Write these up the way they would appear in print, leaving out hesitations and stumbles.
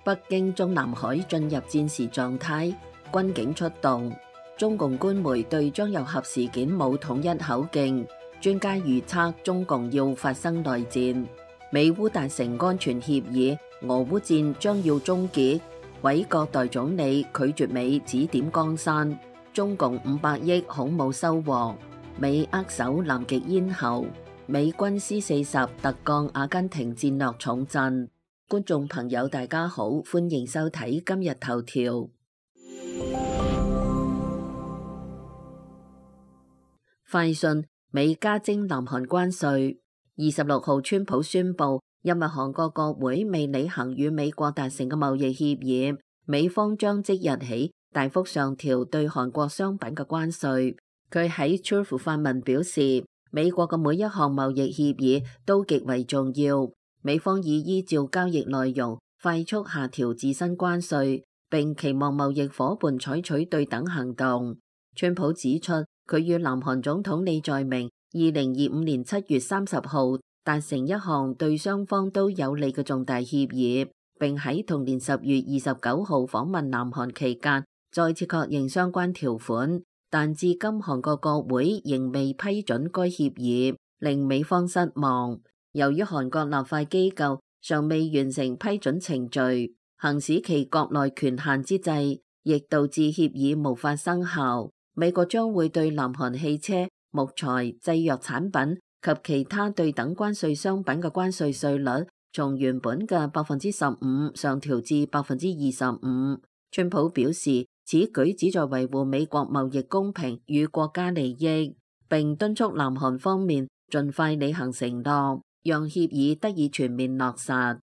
北京中南海進入戰時狀態，軍警出動。中共官媒對張又俠事件冇統一口徑，專家預測中共要發生內戰。美烏達成安全協議，俄烏戰將要終結。委國代總理拒絕美指點江山，中共500億恐冇收穫。美握手南極咽喉，美軍 C-40突降阿根廷戰略重鎮。觀眾朋友大家好，歡迎收睇今日頭條。快訊：美加徵南韓關稅。26號，川普宣布，因為韓國國會未履行與美國達成嘅貿易協議，美方將即日起大幅上調對韓國商品嘅關稅。佢喺 Truth 發文表示，美國嘅每一項貿易協議都極為重要。美方已依照交易內容快速下調自身關稅，並期望貿易夥伴採取對等行動。川普指出，佢與南韓總統李在明2025年7月30號達成一項對雙方都有利嘅重大協議，並喺同年10月29號訪問南韓期間再次確認相關條款，但至今韓國國會仍未批准該協議，令美方失望。由於韓國立法機構尚未完成批准程序，行使其國內權限之際，亦導致協議無法生效。美國將會對南韓汽車、木材、製藥產品及其他對等關稅商品嘅關稅稅率從原本嘅15%上調至25%。川普表示，此舉旨在維護美國貿易公平與國家利益，並敦促南韓方面盡快履行承諾，讓協議得以全面落實。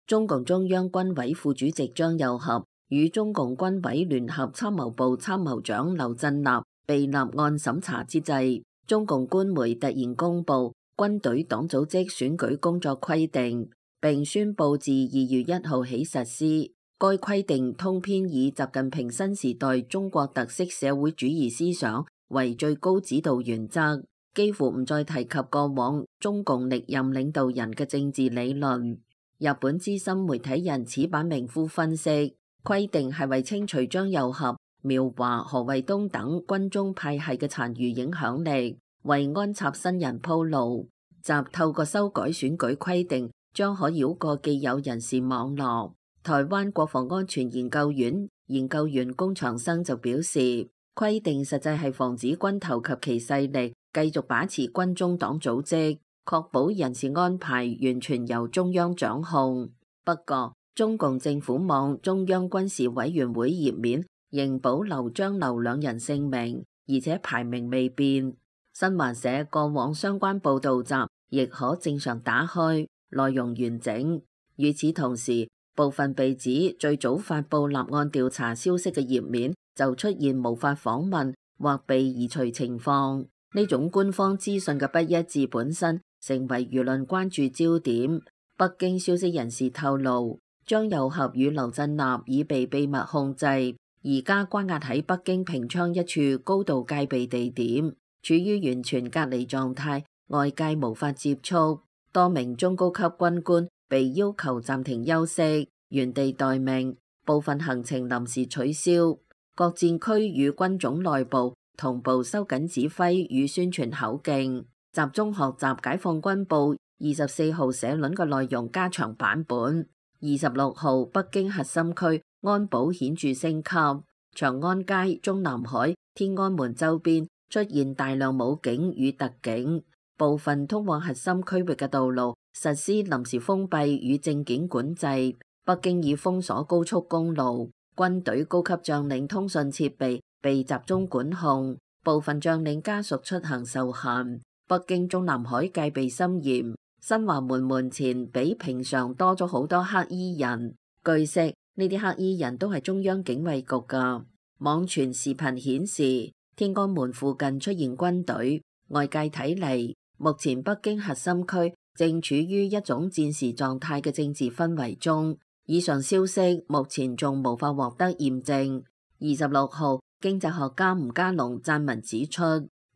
中共中央軍委副主席張又俠與中共軍委聯合參謀部參謀長劉振立被立案審查之際，中共官媒突然公布軍隊黨組織選舉工作規定，並宣布自2月1號起實施。該規定通篇以習近平新時代中國特色社會主義思想為最高指導原則，幾乎唔再提及過往中共歷任領導人嘅政治理論。日本資深媒體人矢板明夫分析，規定係為清除張又俠、苗華、何衛東等軍中派系嘅殘餘影響力，為安插新人鋪路。習透過修改選舉規定，將可繞過既有人事網絡。台灣國防安全研究院研究員龔長生就表示，規定實際係防止軍頭及其勢力繼續把持軍中黨組織，確保人事安排完全由中央掌控。不過，中共政府網中央軍事委員會頁面仍保留張劉兩人姓名，而且排名未變。新華社過往相關報道集亦可正常打開，內容完整。與此同時，部分被指最早發布立案調查消息嘅頁面就出現無法訪問或被移除情況。呢種官方資訊嘅不一致本身成為輿論關注焦點。北京消息人士透露，張又俠與劉振立已被秘密控制，而家關押喺北京平昌一處高度戒備地點，處於完全隔離狀態，外界無法接觸。多名中高級軍官被要求暫停休息，原地待命，部分行程臨時取消。各戰區與軍種內部同步收緊指揮與宣傳口徑，集中學習解放軍報24號社論嘅內容加長版本。26號，北京核心區安保顯著升級，長安街、中南海、天安門周邊出現大量武警與特警，部分通往核心區域嘅道路實施臨時封閉與證件管制。北京已封鎖高速公路，軍隊高級將領通訊設備被集中管控，部分將領家屬出行受限。北京中南海戒備森嚴，新華門門前比平常多咗好多黑衣人。據悉，呢啲黑衣人都係中央警衛局噶。網傳視頻顯示，天安門附近出現軍隊，外界睇嚟，目前北京核心區正處於一種戰時狀態嘅政治氛圍中。以上消息目前仲無法獲得驗證。26號，經濟學家吳家龍撰文指出，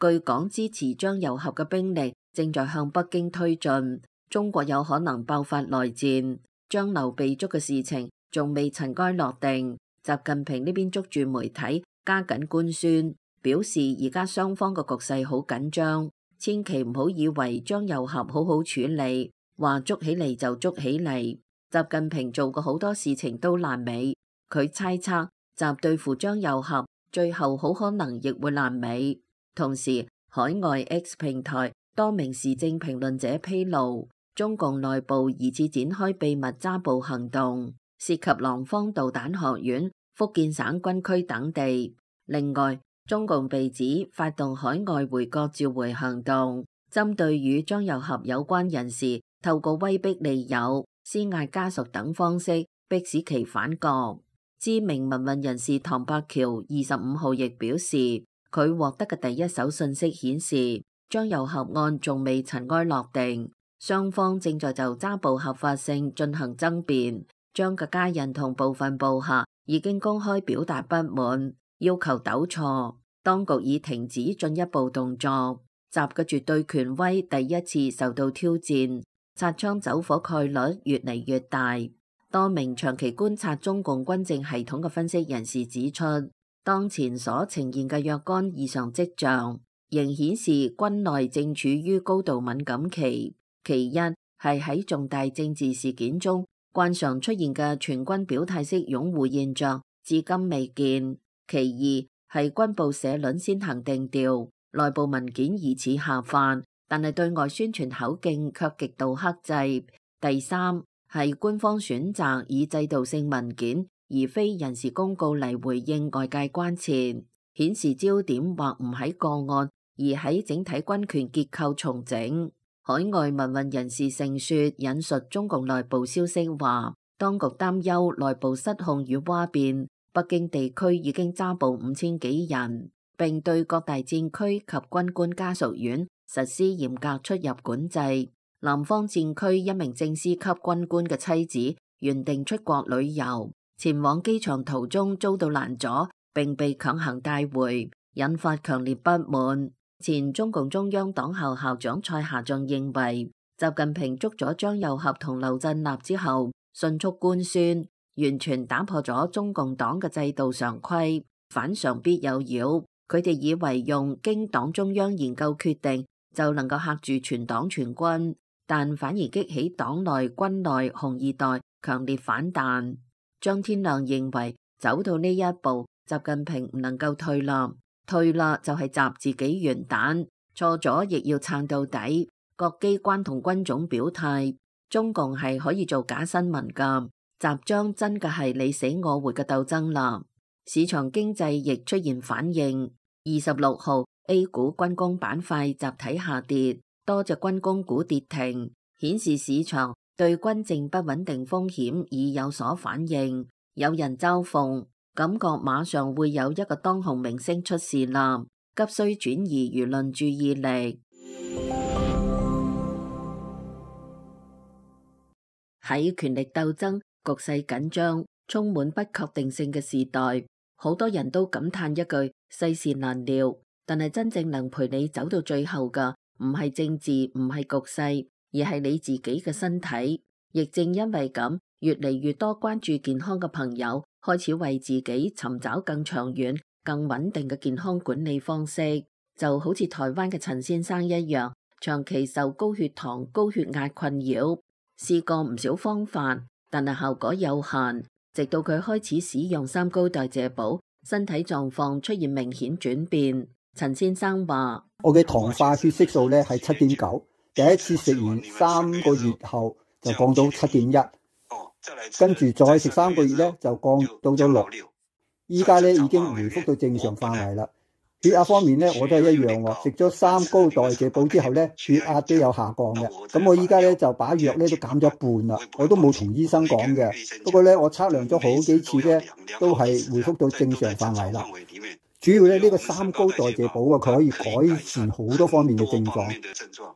據講支持張又俠嘅兵力正在向北京推進，中國有可能爆發內戰，張劉被捉嘅事情仲未塵埃落定。習近平呢邊捉住媒體，加緊官宣，表示而家雙方嘅局勢好緊張，千祈唔好以為張又俠好好處理，話捉起嚟就捉起嚟。習近平做過好多事情都爛尾，佢猜測習對付張又俠，最後好可能亦會爛尾。同時，海外 X 平台多名時政評論者披露，中共內部疑似展開秘密抓捕行動，涉及廊坊導彈學院、福建省軍區等地。另外，中共被指發動海外回國召回行動，針對與張又俠有關人士，透過威逼利誘、施壓家屬等方式，迫使其返國。知名民運人士唐伯喬25號亦表示，佢獲得嘅第一手信息顯示，張又俠案仲未塵埃落定，雙方正在就抓捕合法性進行爭辯。張嘅家人同部分部下已經公開表達不滿，要求糾錯，當局已停止進一步動作。習嘅絕對權威第一次受到挑戰，擦槍走火概率越嚟越大。多名長期觀察中共軍政系統嘅分析人士指出，當前所呈現嘅若干異常跡象，仍顯示軍內正處於高度敏感期。其一係喺重大政治事件中慣常出現嘅全軍表態式擁護現象，至今未見。其二係軍部社論先行定調，內部文件疑似下範，但係對外宣傳口徑卻極度克制。第三係官方選擇以制度性文件而非人事公告嚟回應外界關切，顯示焦點或唔喺個案，而喺整體軍權結構重整。海外民運人士盛說引述中共內部消息話，當局擔憂內部失控與嘩變，北京地區已經抓捕5000幾人，並對各大戰區及軍官家屬院實施嚴格出入管制。南方戰區一名正司級軍官嘅妻子原定出國旅遊，前往機場途中遭到攔阻，並被強行帶回，引發強烈不滿。前中共中央黨校校長蔡霞仲認為，習近平捉咗張又俠同劉振立之後，迅速官宣，完全打破咗中共黨嘅制度常規，反常必有妖。佢哋以為用經黨中央研究決定就能夠嚇住全黨全軍，但反而激起黨內軍內紅二代強烈反彈。張天亮認為，走到呢一步，習近平唔能夠退啦。退啦就係習自己完蛋，錯咗亦要撐到底。各機關同軍種表態，中共係可以做假新聞噶，習將真嘅係你死我活嘅鬥爭啦。市場經濟亦出現反應。26號 A 股軍工板塊集體下跌，多隻軍工股跌停，顯示市場對軍政不穩定風險已有所反應。有人嘲諷，感覺馬上會有一個當紅明星出事啦，急需轉移輿論注意力。喺權力鬥爭、局勢緊張、充滿不確定性嘅時代，好多人都感嘆一句世事難料。但係真正能陪你走到最後嘅，唔係政治，唔係局勢，而係你自己嘅身體。亦正因為咁，越嚟越多關注健康嘅朋友開始為自己尋找更長遠、更穩定嘅健康管理方式，就好似台灣嘅陳先生一樣，長期受高血糖、高血壓困擾，試過唔少方法，但係效果有限。直到佢開始使用三高代謝寶，身體狀況出現明顯轉變。陳先生話：我嘅糖化血色素咧係7.9，第一次食完3個月後就降到7.1。跟住再食3個月咧，就降到咗6。依家咧已經回復到正常範圍啦。血壓方面咧，我都係一樣喎。食咗三高代謝寶之後咧，血壓都有下降嘅。咁我依家咧就把藥咧都減咗一半啦。我都冇同醫生講嘅。不過咧，我測量咗好幾次咧，都係回復到正常範圍啦。主要咧呢個三高代謝寶啊，佢可以改善好多方面嘅症狀，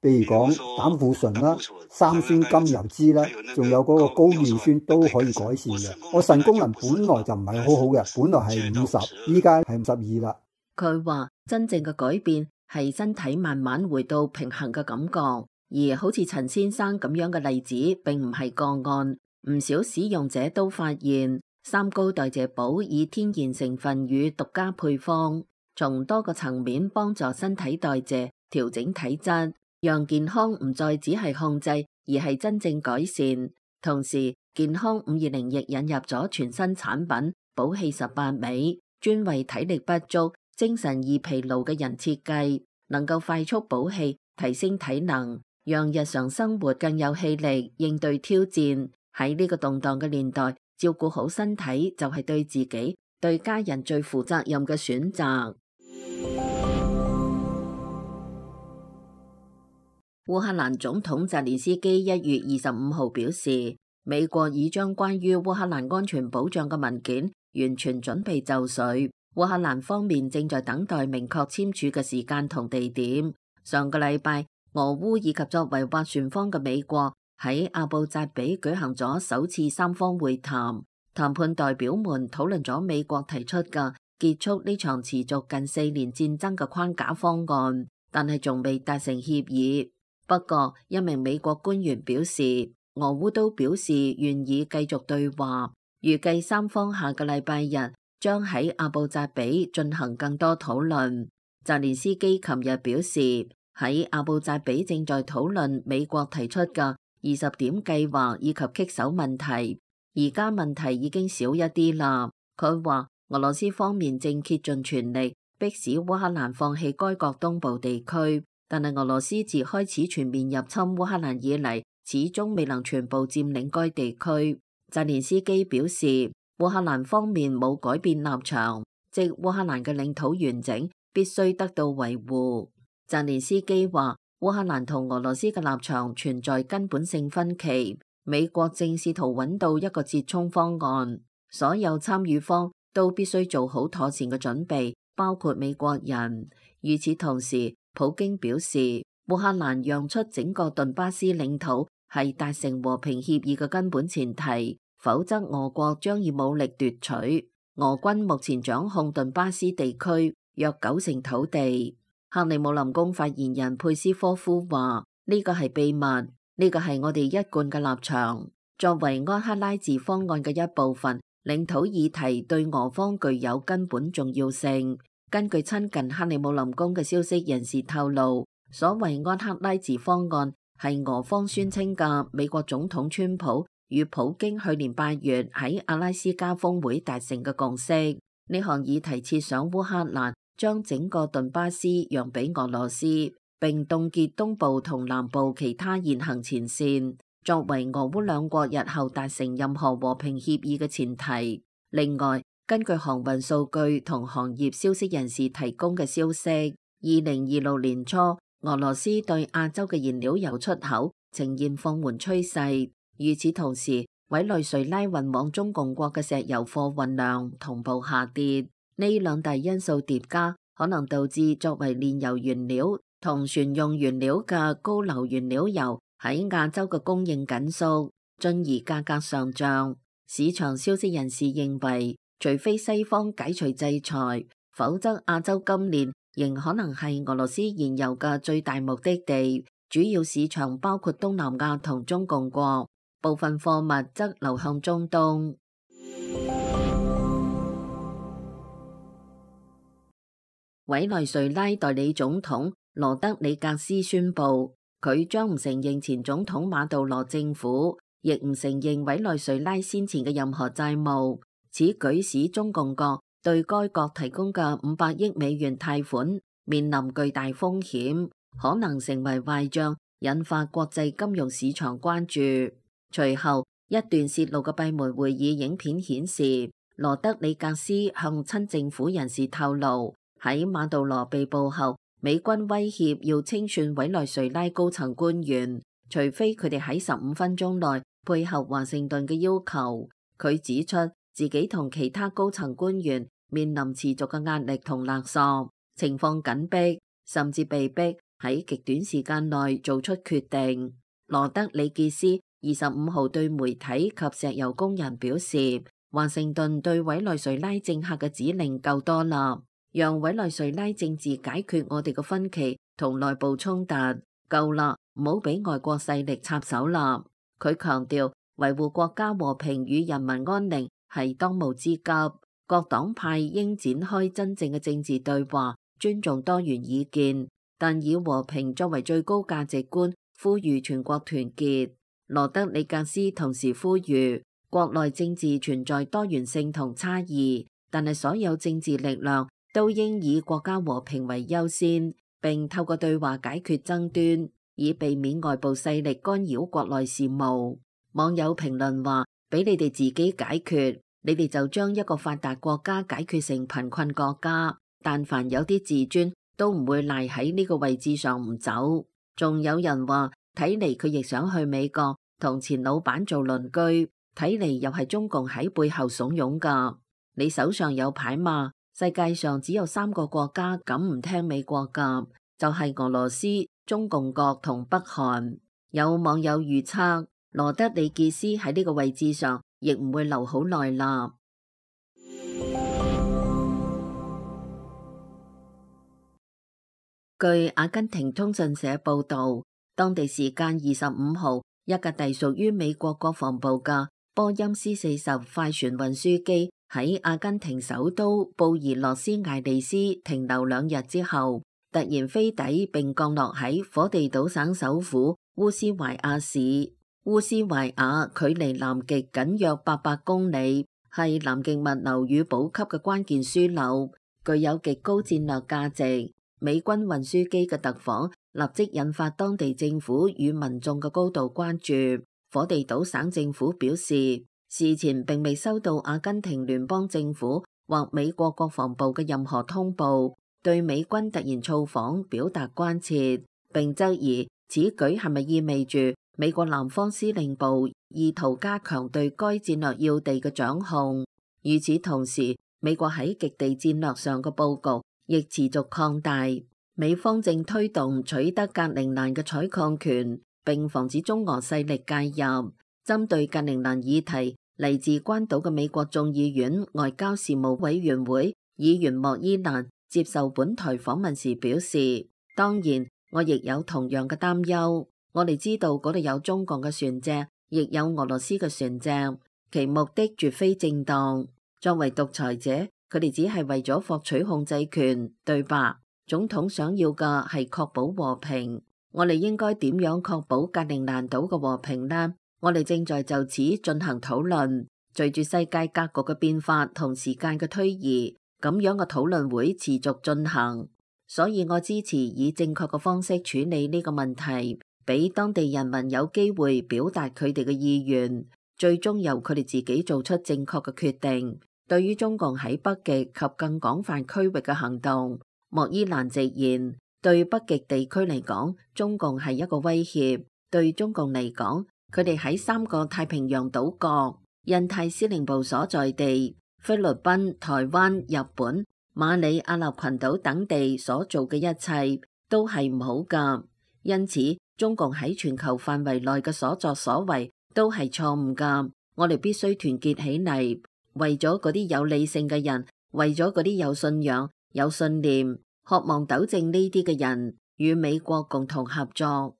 譬如講膽固醇啦、三酸甘油酯啦，仲有嗰個高尿酸都可以改善嘅。我腎功能本來就唔係好好嘅，本來係50，依家係52啦。佢話真正嘅改變係身體慢慢回到平衡嘅感覺，而好似陳先生咁樣嘅例子並唔係個案，唔少使用者都發現三高代謝寶以天然成分與獨家配方，從多個層面幫助身體代謝、調整體質，讓健康唔再只係控制，而係真正改善。同時，健康520亦引入咗全新產品寶氣18味，專為體力不足、精神易疲勞嘅人設計，能夠快速補氣、提升體能，讓日常生活更有氣力應對挑戰。喺呢個動盪嘅年代，照顧好身體就係對自己、對家人最負責任嘅選擇。烏克蘭總統澤連斯基1月25號表示，美國已將關於烏克蘭安全保障嘅文件完全準備就緒，烏克蘭方面正在等待明確簽署嘅時間同地點。上個禮拜，俄烏以及作為斡旋方嘅美國喺阿布扎比舉行咗首次三方會談，談判代表們討論咗美國提出嘅結束呢場持續近4年戰爭嘅框架方案，但係仲未達成協議。不過，一名美國官員表示，俄烏都表示願意繼續對話，預計三方下個禮拜日將喺阿布扎比進行更多討論。澤連斯基琴日表示，喺阿布扎比正在討論美國提出嘅20點計劃以及棘手問題，而家問題已經少一啲啦。佢話俄羅斯方面正竭盡全力迫使烏克蘭放棄該國東部地區。但係俄羅斯自開始全面入侵烏克蘭以嚟，始終未能全部佔領該地區。澤連斯基表示，烏克蘭方面冇改變立場，即烏克蘭嘅領土完整必須得到維護。澤連斯基話，烏克蘭同俄羅斯嘅立場存在根本性分歧，美國正試圖揾到一個折衷方案，所有參與方都必須做好妥善嘅準備，包括美國人。與此同時，普京表示，烏克蘭讓出整個頓巴斯領土係達成和平協議嘅根本前提，否則俄國將以武力奪取。俄軍目前掌控頓巴斯地區約90%土地。克里姆林宮發言人佩斯科夫話：呢個係秘密，呢個係我哋一貫嘅立場。作為安克拉治方案嘅一部分，領土議題對俄方具有根本重要性。根據親近克里姆林宮嘅消息人士透露，所謂安克拉治方案係俄方宣稱嘅美國總統川普與普京去年8月喺阿拉斯加峰會達成嘅共識。呢項議題設想烏克蘭將整個頓巴斯讓俾俄羅斯，並凍結東部同南部其他現行前線，作為俄烏兩國日後達成任何和平協議嘅前提。另外，根據航運數據同行業消息人士提供嘅消息，2026年初，俄羅斯對亞洲嘅燃料油出口呈現放緩趨勢。與此同時，委內瑞拉運往中共國嘅石油貨運量同步下跌。呢兩大因素疊加，可能導致作為煉油原料同船用原料嘅高硫原料油喺亞洲嘅供應緊縮，進而價格上漲。市場消息人士認為，除非西方解除制裁，否則亞洲今年仍可能係俄羅斯燃油嘅最大目的地。主要市場包括東南亞同中共國，部分貨物則流向中東。委內瑞拉代理總統羅德里格斯宣布，佢將唔承認前總統馬杜羅政府，亦唔承認委內瑞拉先前嘅任何債務。此舉使中共國對該國提供嘅500億美元貸款面臨巨大風險，可能成為壞賬，引發國際金融市場關注。隨後，一段泄露嘅閉門會議影片顯示，羅德里格斯向親政府人士透露，喺馬杜羅被捕後，美軍威脅要清算委內瑞拉高層官員，除非佢哋喺15分鐘內配合華盛頓嘅要求。佢指出，自己同其他高層官員面臨持續嘅壓力同勒索，情況緊迫，甚至被迫喺極短時間內做出決定。羅德里傑斯25號對媒體及石油工人表示，華盛頓對委內瑞拉政客嘅指令夠多啦，讓委內瑞拉政治解決我哋嘅分歧同內部衝突。夠啦，唔好俾外國勢力插手啦。佢強調維護國家和平與人民安寧係當務之急，各黨派應展開真正嘅政治對話，尊重多元意見，但以和平作為最高價值觀，呼籲全國團結。羅德里格斯同時呼籲，國內政治存在多元性同差異，但係所有政治力量都應以國家和平為優先，並透過對話解決爭端，以避免外部勢力干擾國內事務。網友評論話：俾你哋自己解決，你哋就將一個發達國家解決成貧困國家。但凡有啲自尊，都唔會賴喺呢個位置上唔走。仲有人話，睇嚟佢亦想去美國同前老闆做鄰居，睇嚟又係中共喺背後慫恿噶。你手上有牌嘛？世界上只有3個國家敢唔聽美國噶，就係俄羅斯、中共國同北韓。有網友預測，羅德里傑斯喺呢個位置上亦唔會留好耐啦。據阿根廷通訊社報導，當地時間25號，一架隸屬於美國國防部嘅波音 C-40快船運輸機喺阿根廷首都布宜諾斯艾利斯停留2日之後，突然飛抵並降落喺火地島省首府烏斯懷亞市。烏斯懷亞距離南極僅約800公里，係南極物流與補給嘅關鍵樞紐，具有極高戰略價值。美軍運輸機嘅特訪立即引發當地政府與民眾嘅高度關注。火地島省政府表示，事前並未收到阿根廷聯邦政府或美國國防部嘅任何通報，對美軍突然造訪表達關切，並質疑此舉係咪意味住美國南方司令部意圖加強對該戰略要地嘅掌控。與此同時，美國喺極地戰略上嘅佈局亦持續擴大，美方正推動取得格陵蘭嘅採礦權，並防止中俄勢力介入。針對格陵蘭議題，嚟自關島嘅美國眾議院外交事務委員會議員莫伊蘭接受本台訪問時表示，當然，我亦有同樣嘅擔憂。我哋知道嗰度有中共嘅船隻，亦有俄羅斯嘅船隻，其目的絕非正當。作為獨裁者，佢哋只係為咗獲取控制權，對吧？總統想要嘅係確保和平。我哋應該點樣確保格陵蘭島嘅和平呢？我哋正在就此進行討論。隨住世界格局嘅變化同時間嘅推移，咁樣嘅討論會持續進行。所以我支持以正確嘅方式處理呢個問題，俾當地人民有機會表達佢哋嘅意願，最終由佢哋自己做出正確嘅決定。對於中共喺北極及更廣泛區域嘅行動，莫伊蘭直言，對北極地區嚟講，中共係一個威脅。對中共嚟講，佢哋喺3個太平洋島國、印太司令部所在地、菲律賓、台灣、日本、馬里亞納群島等地所做嘅一切都係唔好㗎。因此，中共喺全球範圍內嘅所作所為都係錯誤㗎。我哋必須團結起嚟。為咗嗰啲有理性嘅人，為咗嗰啲有信仰、有信念、渴望糾正呢啲嘅人，與美國共同合作。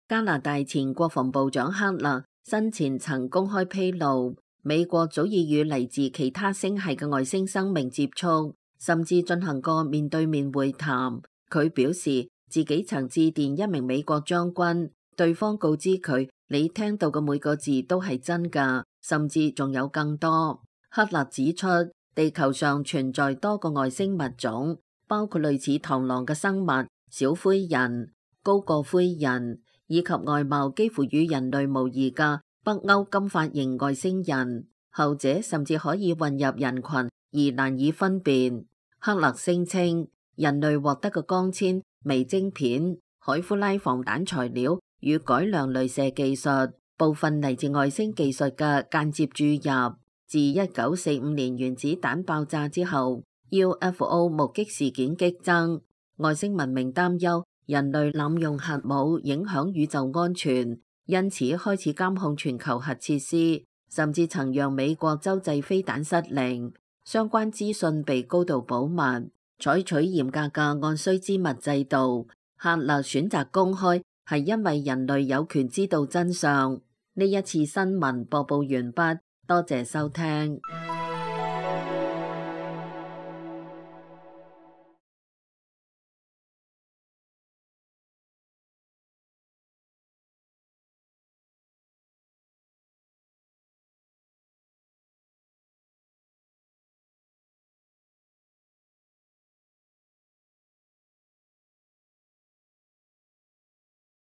加拿大前國防部長克勒生前曾公開披露，美國早已與嚟自其他星系嘅外星生命接觸，甚至進行過面對面會談。佢表示自己曾致電一名美國將軍，對方告知佢，你聽到嘅每個字都係真㗎，甚至仲有更多。克勒指出，地球上存在多個外星物種，包括類似螳螂嘅生物、小灰人、高個灰人，以及外貌幾乎與人類無異嘅北歐金髮型外星人。後者甚至可以混入人群而難以分辨。克勒聲稱，人類獲得嘅光纖、微晶片、海夫拉防彈材料與改良鐳射技術，部分嚟自外星技術嘅間接注入。自1945年原子彈爆炸之後， UFO 目擊事件激增，外星文明擔憂人類濫用核武影響宇宙安全，因此開始監控全球核設施，甚至曾讓美國洲際飛彈失靈。相關資訊被高度保密。採取嚴格嘅按須知物制度。喀勒選擇公開，係因為人類有權知道真相。呢一次新聞播報完畢，多謝收聽。